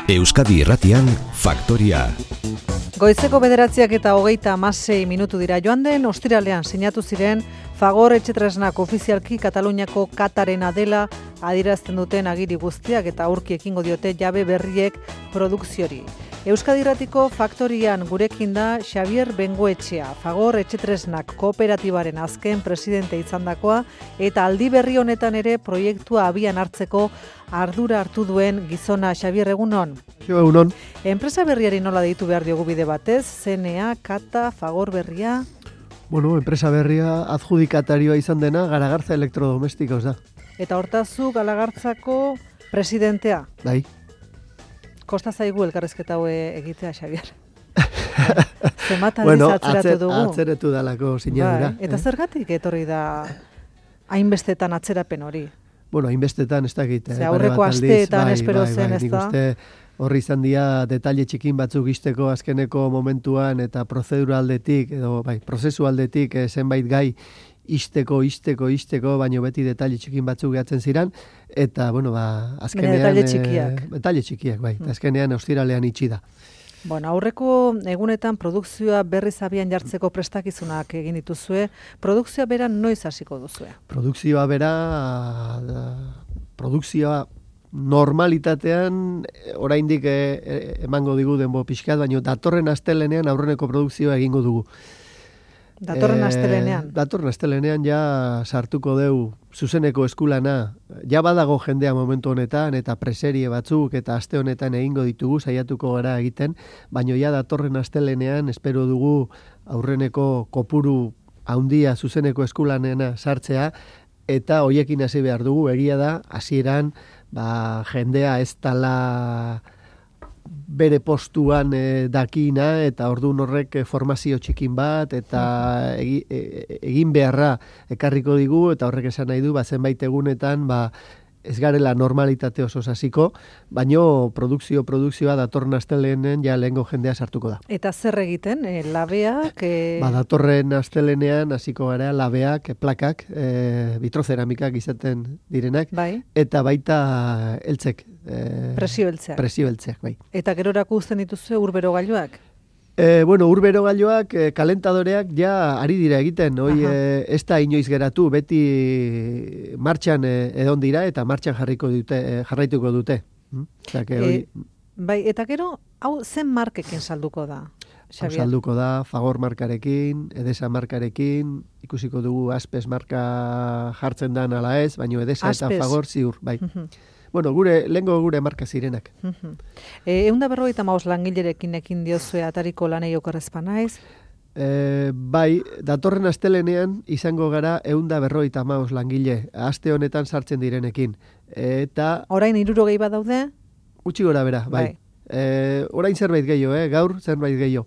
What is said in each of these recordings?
Euskadi Irratian Faktoria. Goizeko 9:26 minutu dira. Joan den ostiralean sinatu ziren Fagor Etxetresnak ofizialki Kataluniako Katarena dela adierazten duten agiri guztiak eta aurki ekingo diote jabe berriek produkziori. Euskadi Irratiko Faktorian gurekin da Xabier Bengoetxea, Fagor Etxetresnak kooperatibaren azken presidente izandakoa eta aldi berri honetan ere proiektua abian hartzeko ardura hartu duen gizona. Xabier, egunon. Egunon. Enpresa berriari nola deitu behar diogu bide batez? CNA, Kata, Fagor berria? Bueno, enpresa berria adjudikatarioa izan dena Garagartza Elektrodomestikos da. Eta hortazu Garagartzako presidentea? Bai. Kosta zaigu elkarrezketa hau egitea, Xabier. Zenbat aldiz atzeratu dugu? Atzeretu dalako sinadura. Bai. Eta zergatik etorri da hainbestetan atzerapen hori? Bueno, hainbestetan ez dakit. Aurreko asteetan espero zen, ez da? Nik uste horri izan dira detalle txikin batzuk izteko azkeneko momentuan eta prozedura aldetik, edo prozesu aldetik zenbait gai isteko, baino beti detalle txikin batzuk gehatzen ziren, eta, bueno, azkenean... Detalle txikiak. Detalle txikiak, bai. Azkenean ostiralean itxi da. Bueno, aurreko egunetan produkzioa berriz abian jartzeko prestakizunak egin dituzue. Produkzioa bera noiz hasiko duzue? Produkzioa normalitatean oraindik emango digu denbo pixkat, baina datorren astelenean aurreneko produkzioa egingo dugu. Datorren astelenean? Datorren astelenean ja sartuko deu zuzeneko eskulana. Ja badago jendea momentu honetan eta preserie batzuk eta aste honetan egingo ditugu, saiatuko gara egiten, baina ja datorren astelenean espero dugu aurreneko kopuru handia zuzeneko eskulanena sartzea eta hoiekin hasi behar dugu. Egia da, hasieran jendea ez dala bere postuan dakina eta orduan horrek formazio txikin bat eta egin beharra ekarriko digu eta horrek esan nahi du zenbait egunetan ez garela normalitate oso hasiko, baino produkzioa datorren asteleenean ja lehengo jendea sartuko da. Eta zer egiten? Labeak? Datorren astelenean hasiko gara labeak, plakak, vitroceramikak izaten direnak, bai. Eta baita eltzek. Presio eltzeak, bai. Eta gerorako uzten dituzue urberogailuak? Urberogailuak, kalentadoreak ja ari dira egiten, ez da inoiz geratu, beti martxan edon dira eta martxan jarraituko dute. Bai, eta gero, hau zen markekin salduko da? Salduko da, Fagor markarekin, Edesa markarekin, ikusiko dugu Aspes marka jartzen dan ala ez, baina Edesa eta Fagor ziur, bai. Bueno, lehengo gure marka zirenak. 155 langilerekin ekin diozue atariko lanei okerrezpa naiz? Bai, datorren astelenean izango gara 155 langile, aste honetan sartzen direnekin. Eta... Orain 60 bat daude? Utsi gora bera, bai. Orain zerbait gehiago, gaur zerbait gehiago.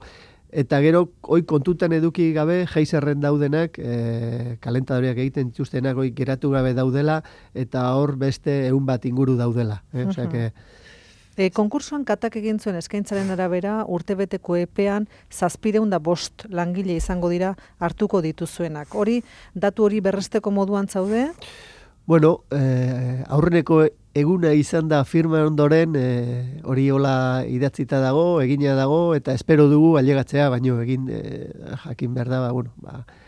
Eta gero, hoi kontutan eduki gabe, geizerren daudenak, kalentadoreak egiten dituztenak hoi geratu gabe daudela, eta hor beste 100 bat inguru daudela. Konkursoan Katak egin zuen eskaintzaren arabera, urtebeteko epean 705 langile izango dira hartuko dituzuenak. Datu hori berresteko moduan zaude? Bueno, aurreneko eguna izan da firma ondoren, hori hola idatzita dago, egina dago, eta espero dugu ailegatzea, baino jakin behar da,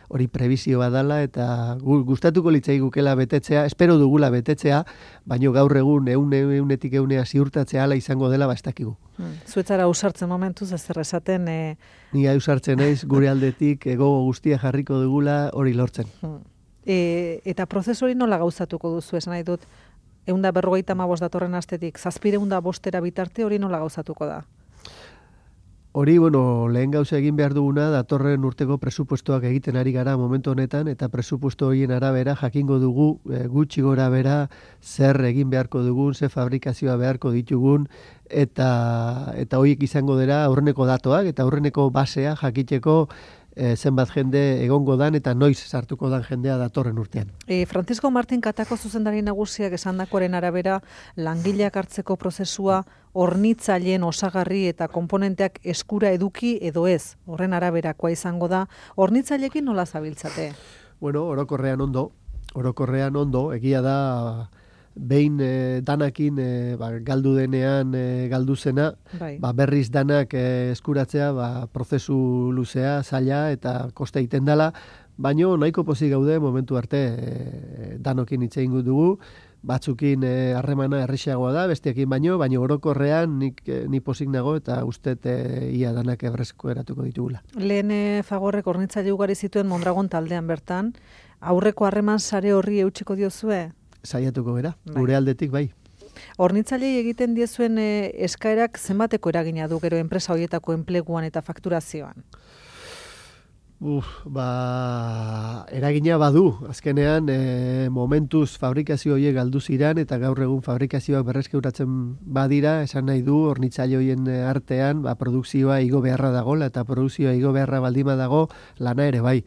hori prebizio badala, eta gustatuko litzaigukela betetzea, espero dugula betetzea, baino gaur egun eunetik eunea ziurtatzea ala izango dela, ez dakigu. Zuetzara ausartzen momentuz, ez esaten... Ni ausartzen naiz, gure aldetik, gogo guztia jarriko dugula hori lortzen. Eta prozesu hori nola gauzatuko duzu, esan nahi dut, 155 datorren astetik, 705 bitarte hori nola gauzatuko da? Hori, lehen gauza egin behar duguna, datorren urteko presupuestoak egiten ari gara momentu honetan, eta presupuesto horien arabera jakingo dugu gutxi gora bera zer egin beharko dugun, zer fabrikazioa beharko ditugun, eta horiek izango dira aurreneko datoak, eta aurreneko basea jakiteko zenbat jende egongo dan eta noiz sartuko dan jendea datorren urtean. Francisco Martin Katako zuzendari nagusiak esandakoaren arabera langileak hartzeko prozesua hornitzaileen osagarri eta konponenteak eskura eduki edo ez. Horren araberakoa izango da. Hornitzaileekin nola zabiltzate? Orokorrean ondo, egia da behin danakin galdu denean galdu zena, berriz danak eskuratzea prozesu luzea, zaila eta koste egiten dela, baino nahiko pozik gaude momentu arte danokin hitz egingo dugu, batzukin harremana errexeagoa da, besteekin baino orokorrean ni pozik nago eta ustet ia danak ebrezko eratuko ditugula. Lehen Fagorrek hornitzaile ugari zituen Mondragon taldean bertan, aurreko harreman sare horri eutxiko diozue? Saiatuko gera, gure aldetik bai. Hornitzailei egiten diezuen eskaerak zenbateko eragina du gero enpresa horietako enpleguan eta fakturazioan? Eragina badu. Azkenean, momentuz fabrikazio horiek galdu ziren eta gaur egun fabrikazioak berreskuratzen badira, esan nahi du hornitzaile horien artean, produkzioa igo beharra dagoela eta produkzioa igo beharra baldima dago, lana ere bai.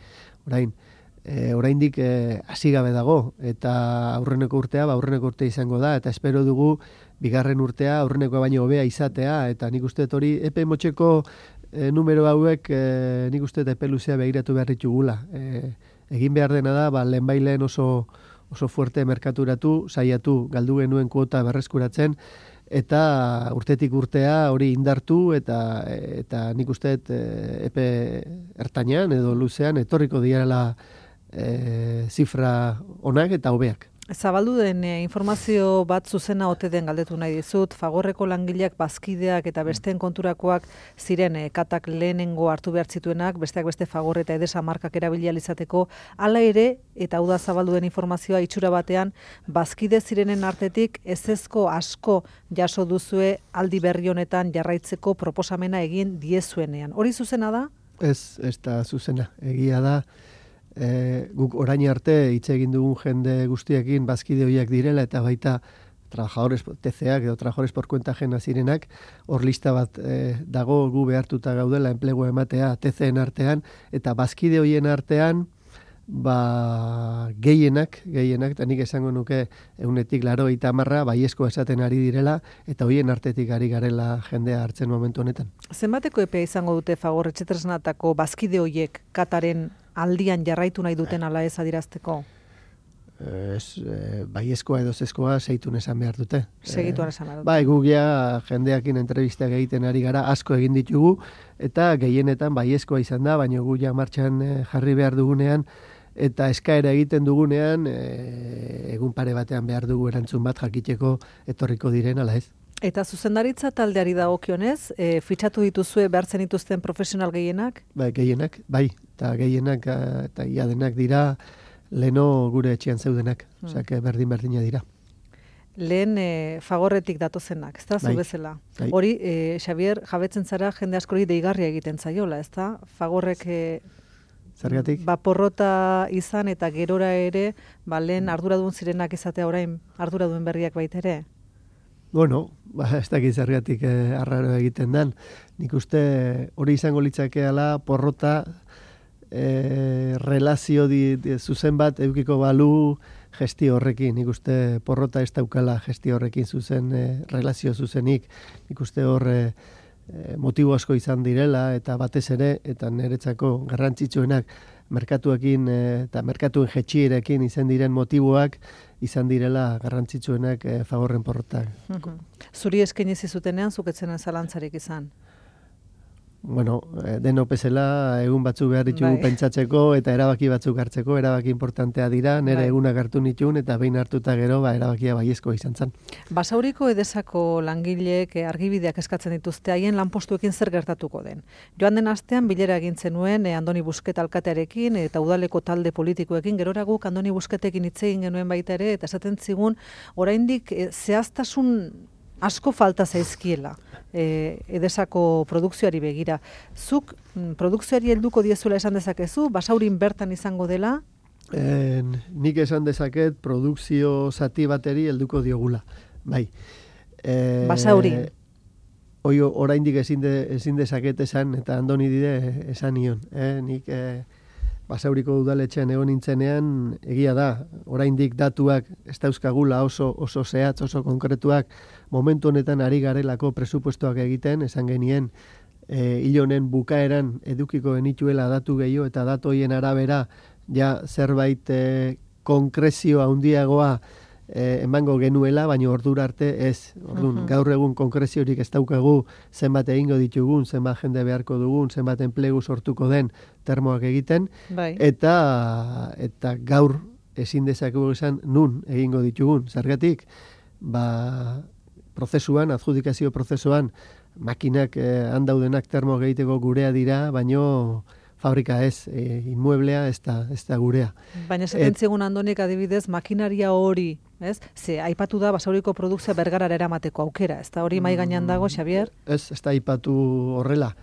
Oraindik hasi gabe dago eta aurreneko urtea izango da eta espero dugu bigarren urtea aurrenekoa baino hobea izatea eta nik uste hori epe motxeko numero hauek nik uste epe luzea begiratu behar ditugula. Egin behar dena da, lehenbailen oso fuerte merkaturatu, saiatu, galdu genuen kuota berreskuratzen, eta urtetik urtea hori indartu eta nik uste epe ertainean edo luzean etorriko direla zifra onak eta hobeak. Zabaldu den informazio bat zuzena ote den galdetu nahi dizut, Fagorreko langileak bazkideak eta besteen konturakoak ziren katak lehenengo hartu behar zituenak, besteak beste Fagor eta Edesa markak erabili ahal izateko, hala ere, eta hau da zabaldu den informazioa itxura batean, bazkide zirenen artetik ezezko asko jaso duzue aldi berri honetan jarraitzeko proposamena egin diezuenean. Hori zuzena da? Ez da zuzena, egia da. Guk orain arte hitz egin dugun jende guztiekin bazkide horiek direla eta baita trabajadores TCak edo trabajadores por cuenta ajena zirenak, hor lista bat dago gu behartuta gaudela enplegua ematea TCen artean eta bazkide horien artean gehienak, eta nik esango nuke 90% baiezko esaten ari direla eta horien artetik ari garela jendea hartzen momentu honetan. Zenbateko epea izango dute Fagor etxetresnatako bazkide horiek kataren aldian jarraitu nahi duten ala ez adirazteko? Baiezkoa edo zezkoa segitun esan behar dute. Segituan esan behar dute. Bai, gugia jendeakin entrevistak egiten ari gara, asko egin ditugu, eta gehienetan baiezkoa izan da, baina guia martxan jarri behar dugunean, eta eskaera egiten dugunean, egun pare batean behar dugu erantzun bat jakiteko etorriko diren, ala ez. Eta zuzendaritza taldeari dagokionez, fitxatu dituzue behartzen dituzten profesional gehienak? Bai, gehienak, bai, eta gehienak eta ia denak dira leno gure etxean zeudenak, osea, berdina dira. Lehen Fagorretik datozenak, ez da, zu bezala. Hori, Xabier, jabetzen zara jende askori deigarria egiten zaiola, ez da? Fagorrek zergatik? Porrota izan eta gerora ere, lehen arduradun zirenak izatea orain arduradun berriak baita ere? Bueno, ez dakit zergatik arraro egiten den. Nik uste hori izango litzakeela porrota relazio zuzen bat edukiko balu gestio horrekin. Nik uste porrota ez daukala gestio horrekin zuzen relazio zuzenik. Nik uste hor motibo asko izan direla eta batez ere eta niretzako garrantzitsuenak merkatuekin eta merkatuen jetxierekin izan diren motiboak izan direla garrantzitsuenak Fagorren porrotak. Zuri eskaini zizutenean zuketzen zalantzarik izan? Bueno, deno bezala egun batzuk behar ditugu pentsatzeko eta erabaki batzuk hartzeko, erabaki importantea dira, nire egunak hartu nituen eta behin hartuta gero erabakia baiezko izan zen. Basauriko Edesako langileek argibideak eskatzen dituzte haien lanpostuekin zer gertatuko den. Joan den astean bilera egin zenuen Andoni Busquet alkatearekin eta udaleko talde politikoekin, gerora guk Andoni Busquetekin hitz egin genuen baita ere eta esaten zigun oraindik zehaztasun asko falta zaizkiela Edesako produkzioari begira. Zuk produkzioari helduko diezuela esan dezakezu, Basaurin bertan izango dela? Nik esan dezaket produkzio zati bateri helduko diogula. Bai. Basaurin? Oraindik ezin dezaket esan, eta Andoni dire esan nion. Nik Basauriko udaletxean egon nintzenean, egia da, oraindik datuak ez dauzkagula oso zehatz, oso konkretuak, momentu honetan ari garelako presupuestoak egiten, esan genien, hil honen bukaeran edukiko genituela datu gehiago eta datu horien arabera ja zerbait konkrezio handiagoa emango genuela, baina ordura arte ez. Orduan, gaur egun konkreziorik ez daukagu zenbat egingo ditugun, zenbat jende beharko dugun, zenbat enplegu sortuko den termoak egiten, eta gaur ezin dezakegu esan nun egingo ditugun. Zergatik, prozesuan, adjudikazio prozesuan, makinak handaudenak termo egiteko gurea dira, baino fabrika ez, inmueblea ez da gurea. Baina esaten zigun Andonik adibidez, makinaria hori, ez? Ze aipatu da Basauriko produkzioa Bergarara eramateko aukera, ez da hori mai gainean dago, Xabier? Ez da aipatu horrela.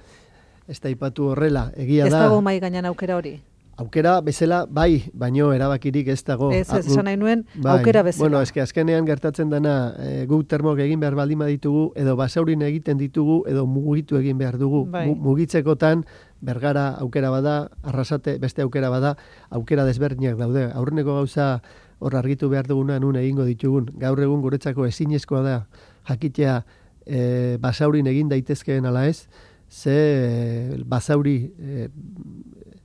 Egia da. Ez dago mai gainean aukera hori? Aukera bezala, bai, baino erabakirik ez dago. Ez, esan nahi nuen, aukera bezala. Bueno, eske azkenean gertatzen dena, guk termok egin behar baldin ditugu, edo Basaurin egiten ditugu, edo mugitu egin behar dugu. Mugitzekotan, Bergara aukera bada, Arrasate beste aukera bada, aukera desberdinak daude. Aurreneko gauza hor argitu behar duguna nun egingo ditugun. Gaur egun guretzako ezinezkoa da jakitea Basaurin egin daitezkeen ala ez, ze Basauri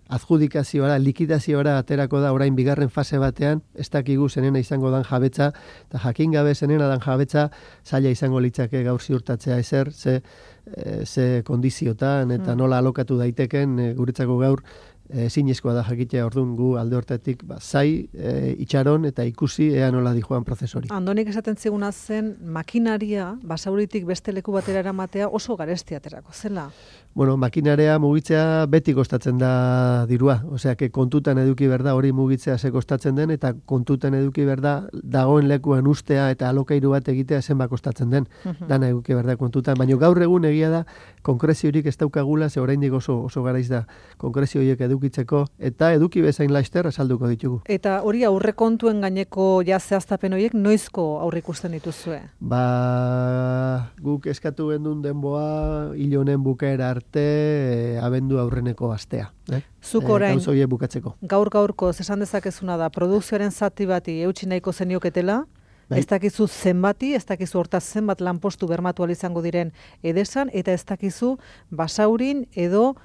adjudikazioara, likidazioara aterako da orain bigarren fase batean, ez dakigu zenena izango dan jabetza, eta jakin gabe zenena dan jabetza, zaila izango litzake gaur ziurtatzea ezer, ze kondiziotan eta nola alokatu daiteken guretzako gaur zinezkoa da jakitea. Orduan gu alde hortatik zai itxaron eta ikusi ea nola dijoan prozesori. Andonik esaten ziguna zen makinaria Basauritik beste leku batera eramatea oso garesti aterako zela. Bueno, makinarea mugitzea beti kostatzen da dirua. Osea, kontutan eduki berda hori mugitzea ze kostatzen den, eta kontutan eduki berda dagoen lekuan ustea eta alokairu bat egitea zenbat kostatzen den. Dana eduki berda kontutan. Baina gaur egun egia da konkreziorik ez daukagula, ze oraindik oso garaiz da konkrezio horiek edukitzeko, eta eduki bezain laster azalduko ditugu. Eta hori aurrekontuen gaineko zehaztapen horiek noizko aurreikusten dituzue? Guk eskatu gendun denboa hil honen bukaera arte abendu aurreneko astea. Zuk orain, bukatzeko. Gaur-gaurko esan dezakezuna da, produkzioaren zati bati eutsi nahiko zenioketela, ez dakizu zenbati, ez dakizu hortaz zenbat lanpostu bermatu izango diren Edesan, eta ez dakizu Basaurin edo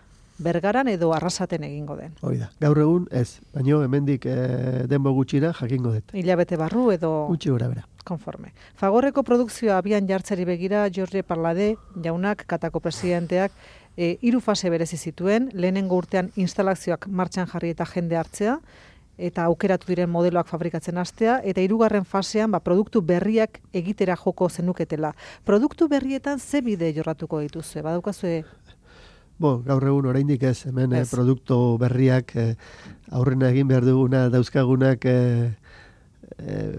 Bergaran edo Arrasaten egingo den. Hoi da, gaur egun ez, baino hemendik denbo gutxira jakingo dut. Hilabete barru edo... Gutxi gora bera. Konforme. Fagorreko produkzioa abian jartzeri begira, Jorge Parlade jaunak, Katako presidenteak, 3 fase berezi zituen, lehenengo urtean instalazioak martxan jarri eta jende hartzea, eta aukeratu diren modeloak fabrikatzen hastea, eta 3. fasean produktu berriak egitera joko zenuketela. Produktu berrietan ze bide jorratuko dituzue? Badaukazue... Gaur egun oraindik ez, hemen produktu berriak aurrena egin behar duguna dauzkagunak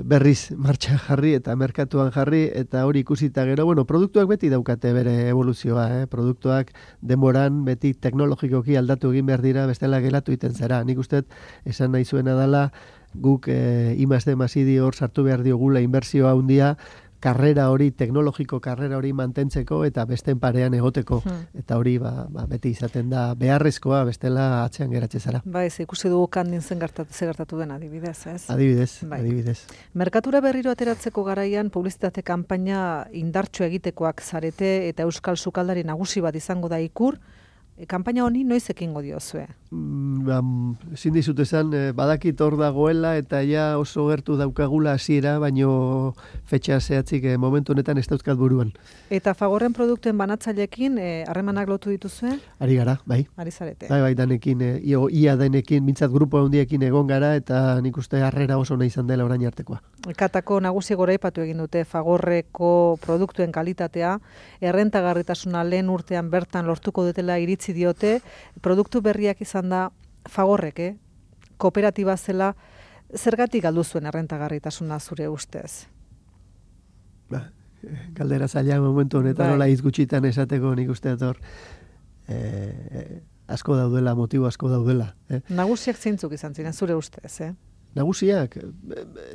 berriz martxan jarri eta merkatuan jarri, eta hori ikusita gero, produktuak beti daukate bere evoluzioa, produktuak denboran beti teknologikoki aldatu egin behar dira, bestela gelatu iten zera. Nik uste esan nahi zuena dela, guk I+D masidi hor sartu behar diogula inbertsioa handia, teknologiko karrera hori mantentzeko eta besteen parean egoteko. Eta hori beti izaten da beharrezkoa, bestela atzean geratze zara. Ez ikusi dugu kandin ze gertatu den adibidez, ez? Adibidez. Merkatura berriro ateratzeko garaian publizitate kanpaina indartxo egitekoak zarete eta euskal sukaldari nagusi bat izango da Ikur. Kanpaina honi noiz ekingo diozue? Ezin dizut esan, badakit hor dagoela eta ja oso gertu daukagula hasiera, baino fetxa zehatzik momentu honetan ez dauzkat buruan. Eta Fagorren produktuen banatzaileekin harremanak lotu dituzue? Ari gara, bai. Ari zarete. Bai, danekin, ia denekin, mintzat grupo handiekin egon gara, eta nik uste harrera oso nahi izan dela orain artekoa. Katako nagusi goraipatu egin dute Fagorreko produktuen kalitatea, errentagarritasuna lehen urtean bertan lortuko dutela iritzi diote, produktu berriak izan da Fagorrek, kooperatiba zela, zergatik galdu zuen errentagarritasuna zure ustez? Galdera zaila momentu honetan nola izgutxitan esateko nik uste ator asko daudela, motibo asko daudela. Nagusiak zeintzuk izan ziren zure ustez, Nagusiak?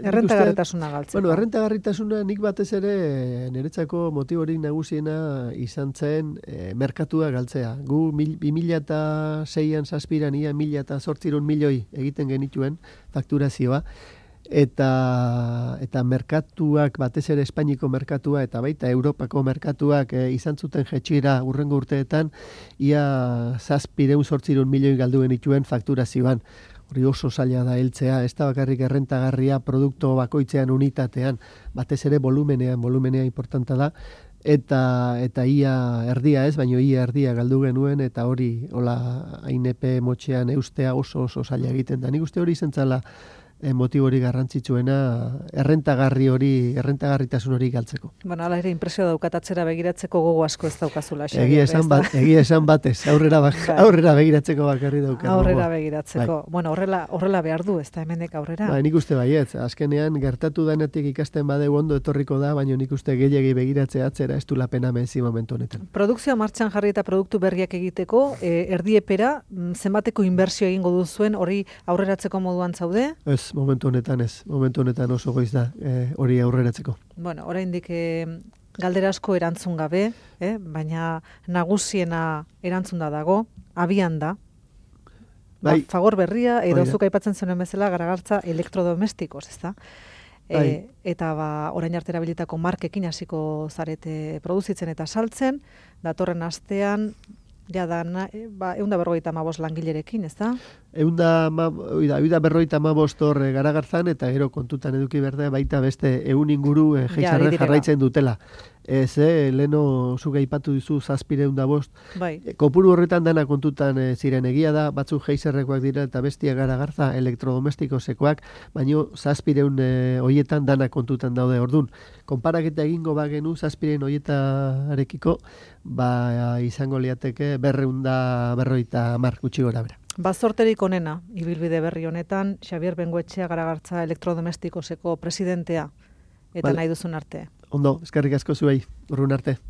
Errentagarritasuna galtzeko. Errentagarritasuna nik batez ere niretzako motiborik nagusiena izan zen merkatua galtzea. Gu 2006an zazpiran ia 1.800 milioi egiten genituen fakturazioa, eta merkatuak, batez ere Espainiko merkatua eta baita Europako merkatuak izan zuten jetxira urrengo urteetan ia 700 milioi galdu genituen fakturazioan. hori oso zaila da heltzea, ez da bakarrik errentagarria produktu bakoitzean unitatean, batez ere volumenea importanta da, eta ia erdia ez, baino ia erdia galdu genuen, eta hori hola ainepe motxean eustea oso zaila egiten da. Nik uste hori zentzala motibo hori garrantzitsuena errentagarritasun hori galtzeko. Bueno, ala ere impresio daukat atzera begiratzeko gogo asko ez daukazula. Egia esan batez, aurrera begiratzeko bakarri daukat. Aurrera begiratzeko. Bueno, horrela behar du, ez da hemenek aurrera. Nik uste baietz, azkenean gertatu denetik ikasten badeu ondo etorriko da, baina nik uste gehiegi begiratzea atzera ez du la pena mezi momentu honetan. Produkzioa martxan jarri eta produktu berriak egiteko, erdiepera, zenbateko inbertsio egingo duzuen, hori aurreratzeko moduan zaude? Momentu honetan oso goiz da hori aurreratzeko. Bueno, oraindik galdera asko erantzun gabe, baina nagusiena erantzunda dago, abian da. Bai. Fagor berria, edo zuk aipatzen zuen bezala garagartza elektrodomestikos, ez da? Eta orain arte erabilitako markekin hasiko zarete produzitzen eta saltzen, datorren astean, da 155 langilerekin, ez da? 155 hor Garagarzan, eta gero kontutan eduki berde baita beste 100 inguru geixarren jarraitzen dutela. Leno zuk aipatu dizu 705. Bai. Kopuru horretan dana kontutan ziren, egia da, batzuk geixarrekoak dira eta bestia Garagarza elektrodomestikosekoak, baino 700 hoietan dana kontutan daude. Ordun, konparaketa egingo bagenu 700 hoietarekiko, izango liateke 250 gutxi gora bera. Bazorterik onena, ibilbide berri honetan, Xabier Bengoetxea Garagartza elektrodomestikoseko presidentea, eta nahi duzun arte. Ondo, eskerrik asko zuei, urrun arte.